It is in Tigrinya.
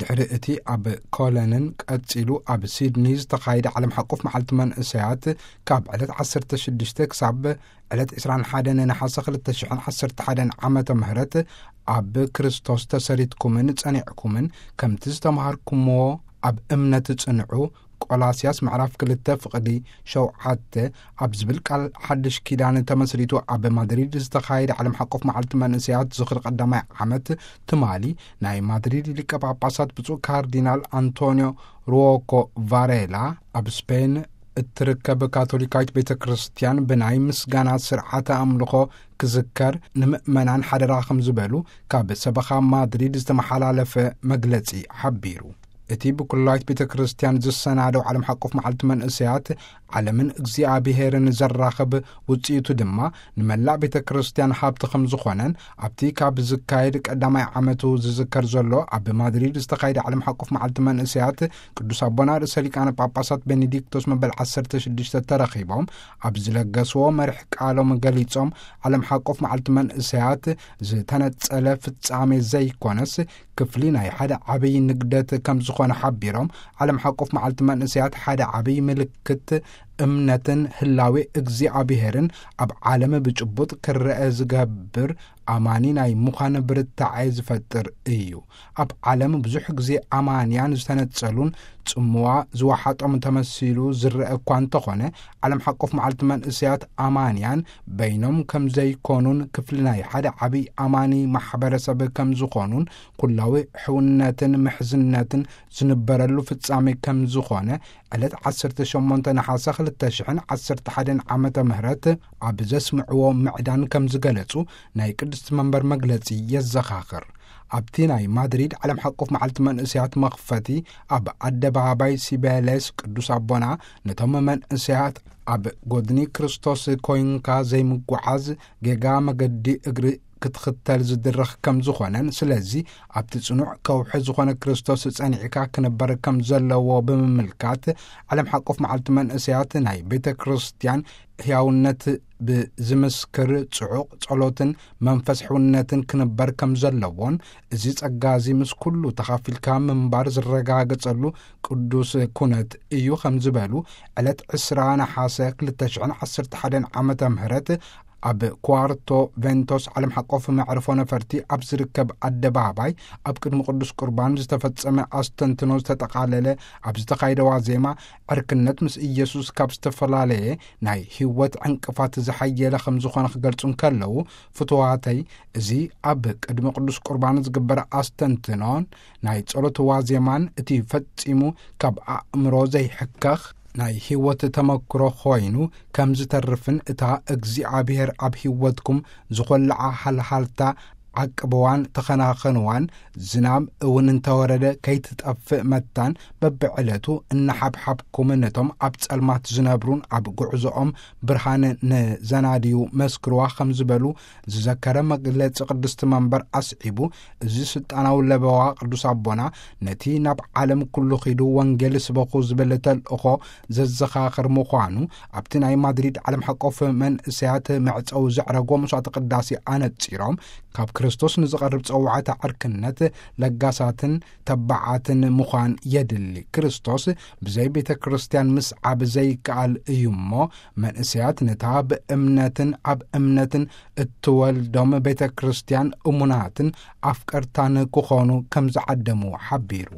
ድሕሪ እቲ ኣብ ኮለንን ቀጺሉ ኣብ ሲድኒ ዝተኻየደ ዓለም ሓቆፍ መዓልቲ መንእሰያት፣ ካብ ዕለት ዓሰርተ ሽዱሽተ ክሳብ ዕለት ዕስራን ሓደን ነሓሰ ክልተ ሽሕን ዓሰርተ ሓደን ዓመተ ምህረት፣ ኣብ ክርስቶስ ተሰሪትኩምን ጸኒዕኩምን፣ ከምቲ ዝተማሃርኩምዎ ኣብ እምነት ጽንዑ፣ ቆላስያስ ምዕራፍ ክልተ ፍቕዲ ሸውዓተ፣ ኣብ ዝብል ቃል ሓድሽ ኪዳን ተመስሪቱ ኣብ ማድሪድ ዝተኻየደ ዓለም ሓቆፍ መዓልቲ መንእሰያት ዝኽሪ ቀዳማይ ዓመት፣ ትማሊ ናይ ማድሪድ ሊቀ ጳጳሳት ብፁዕ ካርዲናል ኣንቶኒዮ ሩዎኮ ቫሬላ፣ ኣብ ስፔን እትርከብ ካቶሊካዊት ቤተ ክርስቲያን ብናይ ምስጋና ስርዓተ ኣምልኾ ክዝከር ንምእመናን ሓደራ ከም ዝበሉ ካብ ሰበኻ ማድሪድ ዝተመሓላለፈ መግለጺ ሓቢሩ። እቲ ብኩላዊት ቤተ ክርስቲያን ዝሰናደው ዓለም ሓቆፍ መዓልቲ መንእሰያት፣ ዓለምን እግዚኣብሔርን ዘራኽብ፣ ውጽኢቱ ድማ ንመላእ ቤተ ክርስቲያን ሃብቲ ከም ዝኾነን፣ ኣብቲ ካብ ዝካየድ ቀዳማይ ዓመቱ ዝዝከር ዘሎ ኣብ ማድሪድ ዝተኻየደ ዓለም ሓቆፍ መዓልቲ መንእሰያት፣ ቅዱስ ኣቦና ርእሰ ሊቃነ ጳጳሳት ቤኔዲክቶስ መበል ዓሰርተ ሽዱሽተ ተረኺቦም ኣብ ዝለገስዎ መርሕ ቃሎም ገሊጾም፣ ዓለም ሓቆፍ መዓልቲ መንእሰያት ዝተነጸለ ፍጻሜ ዘይኮነስ፣ ክፍሊ ናይ ሓደ ዓብይ ንግደት ከም ዝኾነ ሓቢሮም፣ ዓለም ሓቆፍ መዓልቲ መንእሰያት ሓደ ዓብይ ምልክት እምነትን ህላዌ እግዚኣብሔርን ኣብ ዓለም ብጭቡጥ ክረአ ዝገብር ኣማኒ ናይ ምዃን ብርታዐ ዝፈጥር እዩ። ኣብ ዓለም ብዙሕ ግዜ ኣማንያን ዝተነጸሉን ጽምዋ ዝወሓጦም ተመሲሉ ዝረአ እኳ እንተኾነ፣ ዓለም ሓቆፍ መዓልቲ መንእሰያት ኣማንያን በይኖም ከም ዘይኮኑን ክፍሊ ናይ ሓደ ዓብይ ኣማኒ ማሕበረሰብ ከም ዝኾኑን፣ ኩላዊ ሕውነትን ምሕዝነትን ዝንበረሉ ፍጻሜ ከም ዝኾነ፣ ዕለት ዓሰርተ ሸሞንተ ነሓሰ ክልተ ሽሕን ዓሰርተ ሓደን ዓመተ ምህረት ኣብ ዘስምዕዎ ምዕዳን ከም ዝገለጹ ናይ ቅድስቲ መንበር መግለጺ የዘኻኽር። ኣብቲ ናይ ማድሪድ ዓለም ሓቆፍ መዓልቲ መንእሰያት መኽፈቲ፣ ኣብ ኣደባባይ ሲቤሌስ ቅዱስ ኣቦና ነቶም መንእሰያት ኣብ ጎድኒ ክርስቶስ ኮይንካ ዘይምጉዓዝ ጌጋ መገዲ እግሪ ክትኽተል ዝድርኽ ከም ዝኾነን፣ ስለዚ ኣብቲ ጽኑዕ ከውሒ ዝኾነ ክርስቶስ ጸኒዕካ ክነበር ከም ዘለዎ ብምምልካት፣ ዓለም ሓቆፍ መዓልቲ መንእሰያት ናይ ቤተ ክርስቲያን ህያውነት ብዝምስክር ጽዑቕ ጸሎትን መንፈስ ሕውነትን ክንበር ከም ዘለዎን፣ እዚ ጸጋ እዚ ምስ ኩሉ ተኻፊልካ ምንባር ዝረጋገጸሉ ቅዱስ ኩነት እዩ ከም ዝበሉ፣ ዕለት ዕስራ ነሓሰ ክልተ ሽሕን ዓሰርተ ሓደን ዓመተ ምህረት ኣብ ኳርቶ ቬንቶስ ዓለም ሓቆፍ መዕርፎ ነፈርቲ ኣብ ዝርከብ ኣደባባይ ኣብ ቅድሚ ቅዱስ ቁርባን ዝተፈጸመ ኣስተንትኖ ዝተጠቓለለ ኣብ ዝተኻየደ ዋዜማ፣ ዕርክነት ምስ ኢየሱስ ካብ ዝተፈላለየ ናይ ህይወት ዕንቅፋት ዝሓየለ ከም ዝኾነ ክገልጹ እንከለዉ፣ ፍቱዋተይ፣ እዚ ኣብ ቅድሚ ቅዱስ ቁርባን ዝግበር ኣስተንትኖን ናይ ጸሎት ዋዜማን እቲ ፈጺሙ ካብ ኣእምሮ ዘይሕከኽ ናይ ህይወት ተመክሮ ኮይኑ ከም ዝተርፍን፣ እታ እግዚኣብሔር ኣብ ህይወትኩም ዝኾልዓ ሃልሃልታ ዓቅብዋን ተኸናኸንዋን፣ ዝናም እውን እንተወረደ ከይትጠፍእ መታን በብዕለቱ እናሓብሓብኩም ነቶም ኣብ ጸልማት ዝነብሩን ኣብ ጉዕዞኦም ብርሃን ንዘናድዩ መስክርዋ ከም ዝበሉ ዝዘከረ መግለጺ ቅድስቲ መንበር ኣስዒቡ፣ እዚ ስልጣናዊ ለበዋ ቅዱስ ኣቦና ነቲ ናብ ዓለም ኩሉ ኺዱ ወንጌል ስበኹ ዝብል ተልእኾ ዘዘኻኽር ምዃኑ፣ ኣብቲ ናይ ማድሪድ ዓለም ሓቆፍ መንእሰያት መዕጸዊ ዘዕረጎ መስዋዕተ ቅዳሴ ኣነጺሮም፣ ካብ ክርስቶስ ንዝቐርብ ጸዋዕታ ዕርክነት ለጋሳትን ተባዓትን ምዃን የድሊ። ክርስቶስ ብዘይ ቤተ ክርስቲያን ምስዓብ ዘይከኣል እዩ እሞ፣ መንእሰያት ነታ ብእምነትን ኣብ እምነትን እትወልዶም ቤተ ክርስቲያን እሙናትን ኣፍቀርታን ክኾኑ ከም ዝዓደሙ ሓቢሩ።